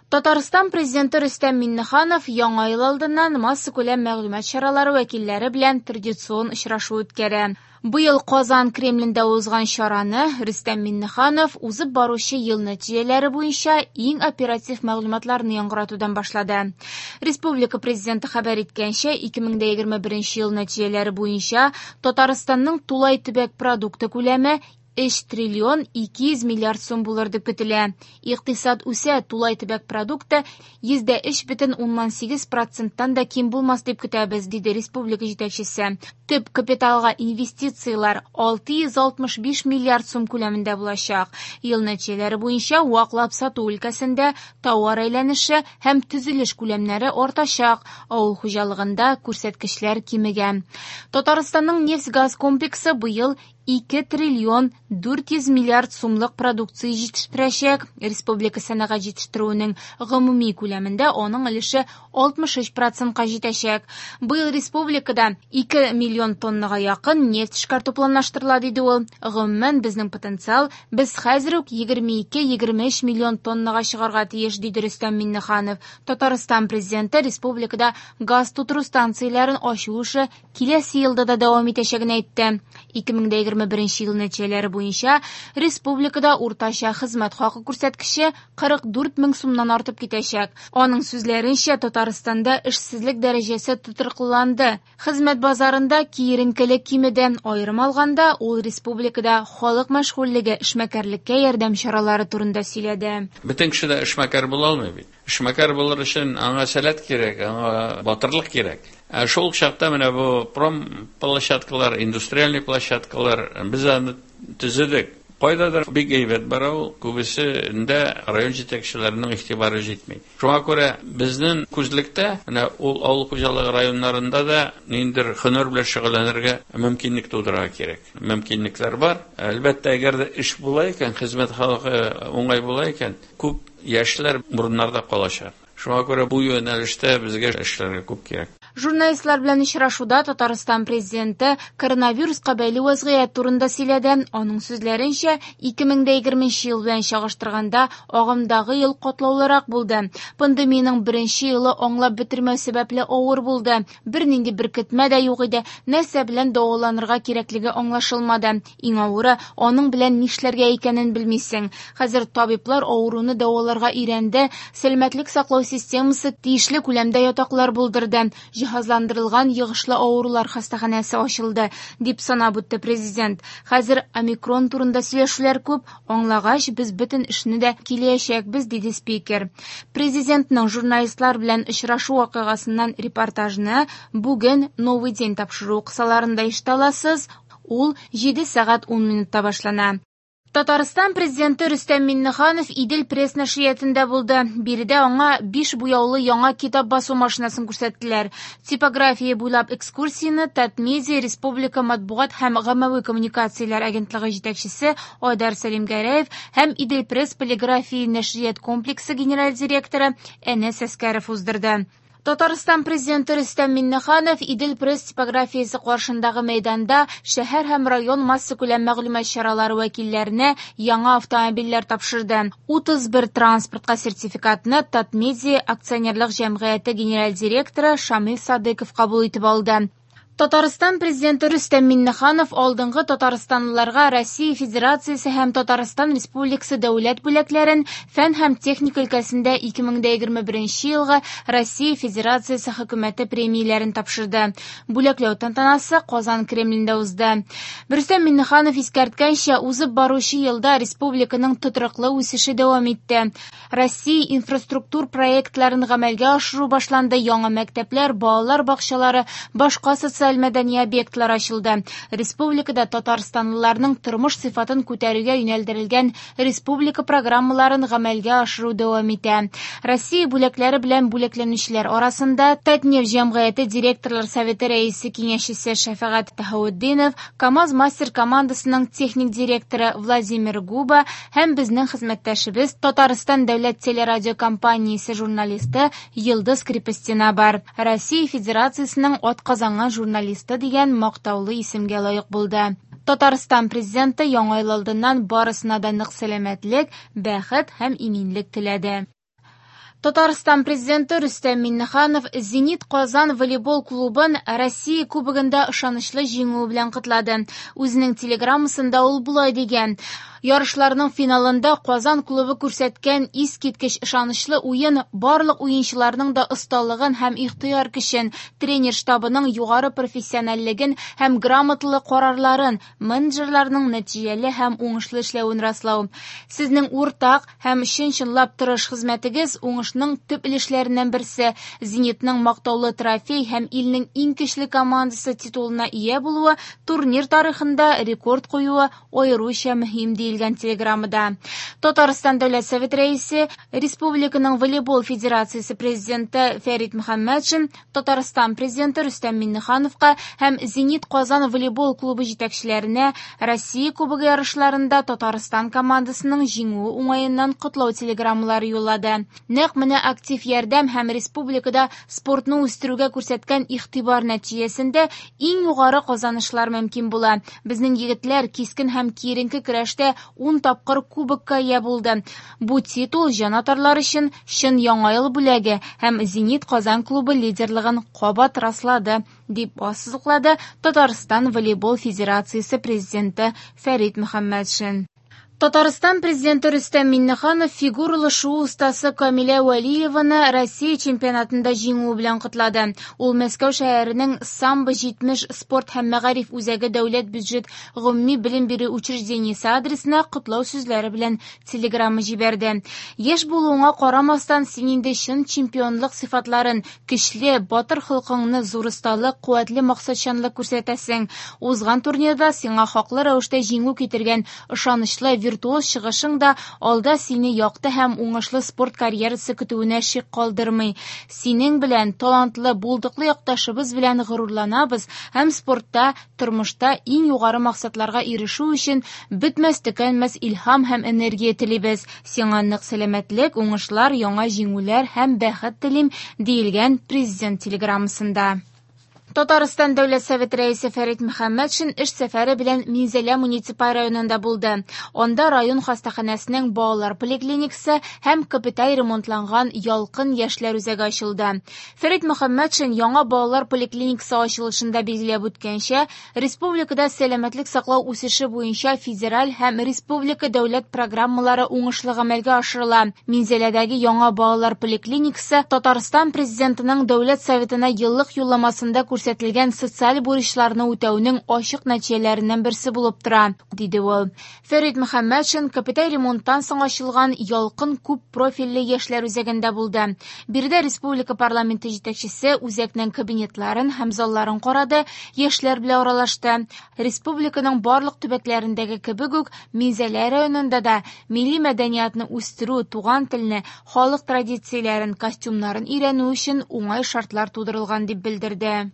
Татарстан Президенты Рөстәм Миңнеханов Яңа ел алдыннан массакүләм мәгълүмат чаралары вәкилләре белән традицион очрашу үткәрә. Быел Казан Кремлендә узган чараны Рөстәм Миңнеханов узып баручы ел нәтиҗәләре буенча иң оператив мәгълүматларны яңгыратудан башлады. Республика Президенты хәбәр иткәнчә, 2021 ел нәтиҗәләре буенча Татарстанның тулай төбәк продукты күләме 3 триллион 200 миллиард сум булыр дип көтелә. Икътисад үсә, тулай төбәк продукты 3,8 проценттан да ким булмас дип көтәбез, диде республика җитәкчесе. Төп капиталга инвестицияләр 665 миллиард сум күләмендә булачак. Ел нәтиҗәләре буенча ваклап сату өлкәсендә тауар әйләнеше һәм төзелеш күләмнәре артачак, авыл хуҗалыгында күрсәткечләр кимегән. Татарстанның нефть-газ комплексы быел 2 триллион 400 миллиард сумлык продукция җитештерәчәк. Республика сәнәгать җитештерүенең гомуми күләмендә аның өлеше 63 процентка җитәчәк. Быел республикада 2 миллион тоннага якын нефть эшкәртү планлаштырыла, диде ул. Гомумән, безнең потенциал, без хәзер үк 22-23 миллион тоннага чыгарга тиеш, диде Рөстәм Миңнеханов. Татарстан Президенты республикада газ тутыру станцияләрен ачу эше киләсе елда да дәвам итәчәген әйтте. 2021 ел нәтиҗәләре буенча республикада уртача хезмәт хакы күрсәткече 44 мең сумнан артып китәчәк. Аның сүзләренчә, Татарстанда эшсезлек дәрәҗәсе тотрыклыланды. Хезмәт базарында киеренкелек кимеде. Аерым алганда, ул республикада халык мәшгульлеге, эшмәкәрлеккә ярдәм чаралары турында сөйләде. Бөтен кеше дә эшмәкәр була алмый бит. Эшмәкәр булыр өчен аңа сәләт кирәк, аңа батырлык кирәк. Ә шул чакта менә бу промплощадкалар, индустриальный площадкалар без аны төзедек. Кайдадыр бик әйбәт бара ул, күбесендә район җитәкчеләренең игътибары җитми. Шуңа күрә безнең күзлектә менә ул авыл хуҗалыгы районнарында да ниндидер һөнәр белән шөгыльләнергә мөмкинлек тудырырга кирәк. Мөмкинлекләр бар. Әлбәттә, әгәр дә эш була икән, хезмәт халкы уңай була икән, күп яшьләр урыннарда калачак. Шуңа күрә бу юнәлештә безгә эшләргә күп кирәк. Журналистлар белән очрашуда Татарстан Президенты коронавируска бәйле вазгыять турында сөйләде. Аның сүзләренчә, 2020 ел белән чагыштырганда агымдагы ел катлаулырак булды. Пандемиянең беренче елы аңлап бетермәү сәбәпле авыр булды. Бернинди беркетмә дә юк иде. Нәрсә белән дәваланырга кирәклеге аңлашылмады. Иң авыры, аның белән нишләргә икәнен белмисең. Хәзер табиблар авыруны дәваларга өйрәнде. Сәламәтлек саклау системасы тиешле күләмдә ятаклар булдырды. Җиһазландырылган йогышлы авырулар хастаханәсе ачылды, дип санап үтте президент. Хәзер омикрон турында сөйләшүләр күп, аңлагач, без бөтен эшне дә киләчәкбез, диде спикер. Президентның журналистлар белән очрашу вакыйгасыннан репортажны бүген Новый день тапшыруы кысаларында ишетә аласыз. Ул 7 сәгать 10 минутта башлана. Татарстан Президенты Рөстәм Миңнеханов Идел пресс нәшриятында булды. Биредә аңа 5 буяулы яңа китап басу машинасын күрсәттеләр. Типография буйлап экскурсияне Татмедиа Республика матбугат һәм гаммәви коммуникацияләр агентлыгы җитәкчесе Айдар Сәлимгәрәев һәм Идел пресс полиграфия нәшрият комплексы генераль директоры Әнәс Әскәров уздырды. Татарстан Президенты Рөстәм Миңнеханов Идел пресс типографиясе каршындагы мәйданда шәһәр һәм район массакүләм мәгълүмат чаралары вәкилләренә яңа автомобильләр тапшырды. 31 транспортка сертификатны Татмедиа акционерлык җәмгыяте генераль директоры Шамил Садыков кабул итеп алды. Татарстан Президенты Рөстәм Миңнеханов алдынгы татарстанлыларга Россия Федерациясе һәм Татарстан Республикасы дәүләт бүләкләрен фән һәм техника өлкәсендә 2021 елгы Россия Федерациясе хөкүмәте премияләрен тапшырды. Бүләкләү тантанасы Казан Кремлендә узды. Рөстәм Миңнеханов искәрткәнчә, узып баручы елда республиканың тотрыклы үсеше дәвам итте. Россия инфраструктур проектларын гамәлгә ашыру башланды, яңа мәктәпләр, балалар бакчалары, башка социаль мәдәни объектлар ачылды. Республикада татарстанлыларның тормыш сыйфатын күтәрүгә юнәлдерелгән республика программаларын гамәлгә ашыру дәвам итә. Россия бүләкләре белән бүләкләнүчеләр арасында Татнефть җәмгыяте директорлар советы рәисе киңәшчесе Шәфәгать Таһаутдинов, КАМАЗ мастер командасының техник директоры Владимир Губа һәм безнең хезмәттәшебез Татарстан дәүләт телерадиокомпаниясе журналисты Йылдыз Крепостина бар. Россия Федерациясенең атказанган журналисты дигән мактаулы исемгә лаек булды. Татарстан Президенты яңа ел алдыннан барысына да нык сәламәтлек, бәхет һәм иминлек теләде. Татарстан Президенты Рөстәм Миңнеханов «Зенит Казан» волейбол клубын Россия Кубогында ышанычлы җиңүе белән котлады. Үзенең телеграммасында ул болай дигән: «Ярышларның финалында Казан клубы күрсәткән искиткеч ышанычлы уен барлык уенчыларның да осталыгын һәм ихтыяр көчен, тренер штабының югары профессиональлеген һәм грамоталы карарларын, менеджерларның нәтиҗәле һәм уңышлы эшләвен раслау. Сезнең уртак һәм чын-чынлап тырыш хезмәтегез уңышның төп өлешләреннән берсе. «Зенитның» мактаулы трофей һәм илнең иң көчле командасы титулына ия булуы турнир тарихында рекорд куюы аеруча мөһим, диелгән телеграммада. Татарстан Дәүләт Совет Рәисе, Республиканың волейбол федерациясе президенты Фәрит Мөхәммәтшин Татарстан Президенты Рөстәм Миңнехановка һәм «Зенит Казан» волейбол клубы җитәкчеләренә Россия Кубогы ярышларында Татарстан командасының җиңүе уңаеннан котлау телеграммалары юллады. Нәкъ менә актив ярдәм һәм республикада спортны үстерүгә күрсәткән игътибар нәтиҗәсендә иң югары казанышлар мөмкин була. Безнең егетләр кискен һәм киеренке көрәштә 10 тапкыр кубокка ия булды. Бу титул җанатарлар өчен чын яңа ел бүләге һәм «Зенит Казан» клубы лидерлыгын кабат раслады, дип ассызыклады Татарстан волейбол федерациясе президенты Фәрит Мөхәммәтшин. Татарстан Президенты Рөстәм Миңнеханов фигуралы шуу остасы Камилә Вәлиеваны Россия чемпионатында җиңүе белән котлады. Ул Мәскәү шәһәренең Самбо 70 спорт һәм мәгариф үзәге дәүләт бюджет гомуми белем бирү учреждениесе адресына котлау сүзләре белән телеграмма җибәрде. Яшь булуыңа карамастан, син инде чын чемпионлык сыйфатларын, көчле, батыр холкыңны, зур осталык, куәтле максатчанлык күрсәтәсең. Узган турнирда сиңа хаклы рәвештә җиңү китергән ышанычлы виртуоз чыгышың да алда сине якты һәм уңышлы спорт карьерасы көтүенә шик калдырмый. Синең белән, талантлы, булдыклы якташыбыз белән горурланабыз һәм спортта, тормышта иң югары максатларга ирешү өчен бетмәс төкәнмәс илһам һәм энергия телибез. Сиңа нык сәламәтлек, уңышлар, яңа җиңүләр һәм бәхет телим, диелгән президент телеграммасында. Татарстан Дәүләт Совет рәисе Фәрит Мөхәммәтшин эш сәфәре белән Минзәлә муниципаль районында булды. Анда район хастаханәсенең балалар поликлиникасы һәм капиталь ремонтланган Ялкын яшьләр үзәге ачылды. Фәрит Мөхәммәтшин яңа балалар поликлиникасы ачылышында билгеләп үткәнчә, республикада сәламәтлек саклау үсеше буенча федераль һәм республика дәүләт программалары уңышлы гамәлгә ашырыла. Минзәләдәге яңа балалар поликлиникасы Татарстан Президентының Дәүләт Советына еллык юлламасында күрсәтелгән социаль бурычларны үтәүнең ачык нәтиҗәләреннән берсе булып тора, диде ул. Фәрит Мөхәммәтшин капиталь ремонттан соң ачылган Ялкын күп профильле яшьләр үзәгендә булды. Биредә республика парламенты җитәкчесе үзәкнең кабинетларын һәм залларын карады, яшьләр белән аралашты. Республиканың барлык төбәкләрендәге кебек үк Минзәлә районында да милли мәдәниятны үстерү, туган телне, халык традицияләрен, костюмнарын өйрәнү өчен уңай шартлар тудырылган дип белдерде.